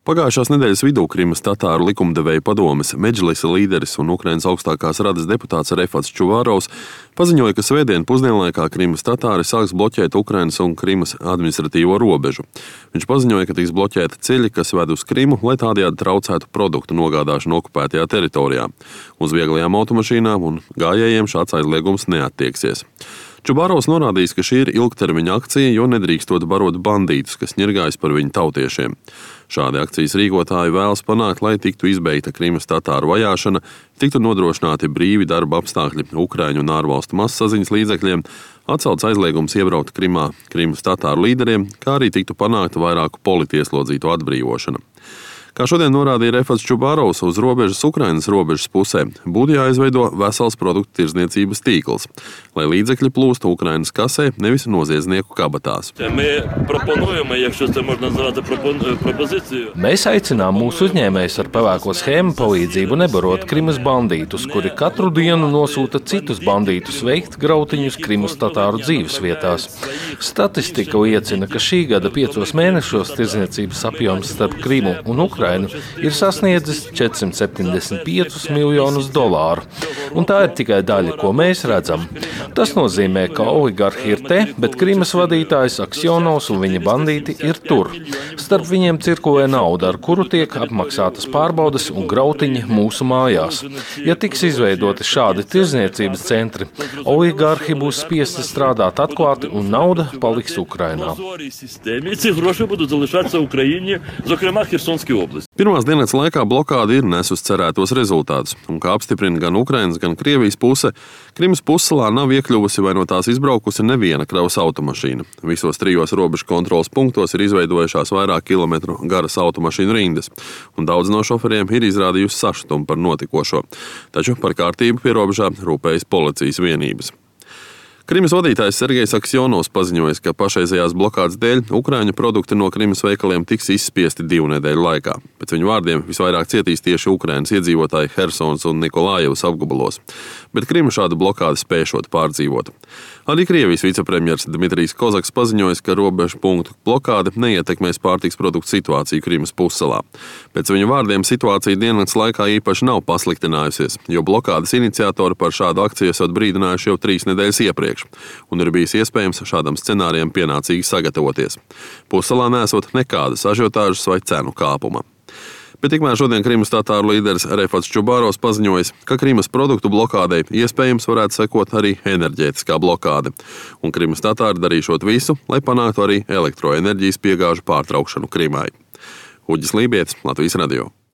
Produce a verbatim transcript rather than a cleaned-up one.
Pagājušās nedēļas vidū Krimas tatāru likumdevēju padomes Medžlisa līderis un Ukrainas augstākās radas deputāts Refats Čuvārovs paziņoja, ka svētdien pusdienlaikā Krimas tatāri sāks bloķēt Ukrainas un Krimas administratīvo robežu. Viņš paziņoja, ka tiks bloķēti ceļi, kas ved uz Krimu, lai tādējādi traucētu produktu nogādāšanu okupētajā teritorijā. Uz vieglajām automašīnām un gājējiem šāds aizliegums neattieksies. Čubārovs norādījis, ka šī ir ilgtermiņa akcija, jo nedrīkstot barot bandītus, kas ņirgājas par viņu tautiešiem. Šādi akcijas rīkotāji vēlas panākt, lai tiktu izbeigta Krimas tatāru vajāšana, tiktu nodrošināti brīvi darba apstākļi Ukraiņu un ārvalstu mazsaziņas līdzekļiem, atcelts aizliegums iebraukt Krimā Krimas tatāru līderiem, kā arī tiktu panākta vairāku politieslodzītu atbrīvošana. Kā šodien norādīja Refats Čubārovs, uz robežas Ukrainas robežas pusē būtu jāizveido vesels produktu tirdzniecības tīkls, lai līdzekļi plūstu Ukrainas kasē, nevis noziedznieku kabatās. Mēs aicinām mūsu uzņēmējus ar pavēko schēmu palīdzību nebarot Krimas bandītus, kuri katru dienu nosūta citus bandītus veikt grautiņus Krimas tatāru dzīves vietās. Statistika liecina, ka šī gada piecos mēnešos tirdzniecības apjoms starp Krimu un Ukrainu ir sasniedzis četrsimt septiņdesmit piecus miljonus dolāru. Un tā ir tikai daļa, ko mēs redzam. Tas nozīmē, ka oligarhi ir te, bet Krimas vadītājs Aksjonovs un viņa bandīti ir tur. Starp viņiem cirkulē nauda, ar kuru tiek apmaksātas pārbaudes un grautiņi mūsu mājās. Ja tiks izveidoti šādi tirdzniecības centri, oligarhi būs spiesti strādāt atklāti un nauda paliks Ukrainā. Pirmās dienas laikā blokāde ir nesus cerētos rezultātus, un kā apstiprina gan Ukrainas, gan Krievijas puse, Krimas pussalā nav iekļuvusi vai no tās izbraukusi neviena kravas automašīna. Visos trijos robežu kontroles punktos ir izveidojušās vairāk kilometru garas automašīnu rindas, un daudz no šoferiem ir izrādījusi sašutumu par notikošo. Taču par kārtību pie robežā rūpējas policijas vienības. Krimas vadītājs Sergejs Aksjonovs paziņojis, ka pašreizējās blokādes dēļ Ukraiņu produkti no Krimas veikaliem tiks izspiesti divu nedēļu laikā. Pēc viņu vārdiem visvairāk cietīs tieši Ukrainas iedzīvotāji Hersons un Nikolājevas apgabalos, bet Krima šādu blokādi spēšot pārdzīvot. Arī Krievijas vicepremjers Dmitrijs Kozaks paziņojis, ka robežu punktu blokāde neietekmēs pārtiks produktu situāciju Krimas pussalā. Pēc viņu vārdiem situācija diennakts laikā īpaši nav pasliktinājusies, jo blokādes iniciatori par šādu akciju esot brīdinājuši jau trīs nedēļas iepriekš, un ir bijis iespējams šādam scenārijam pienācīgi sagatavoties. Pussalā nesot nekādas ažiotāžas vai cenu kāpuma. Bet tikmēr šodien Krimas tatāru līderis Refats Čubārovs paziņojis, ka Krimas produktu blokādei iespējams varētu sekot arī enerģētiskā blokāde, un Krimas tatāri darīšot visu, lai panāktu arī elektroenerģijas piegāžu pārtraukšanu Krimai. Uģis Lībietis, Latvijas radio.